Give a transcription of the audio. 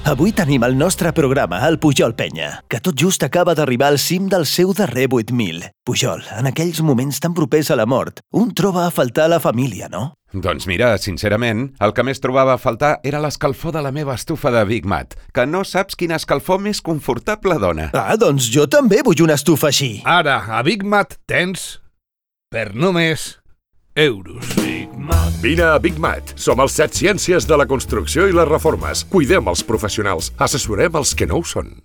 Avui tenim el nostre programa, el Pujol Penya, que tot just acaba d'arribar al cim del seu darrer 8.000. Pujol, en aquells moments tan propers a la mort, un troba a faltar la família, no? Doncs mira, sincerament, el que més trobava a faltar era l'escalfor de la meva estufa de Big Mat, que no saps quina escalfor més confortable dona. Ah, doncs jo també vull una estufa així. Ara, a Big Mat tens per només euros. Vine a Big Mat. Som els 7 ciències de la construcció i les reformes. Cuidem els professionals. Assessorem els que no ho són.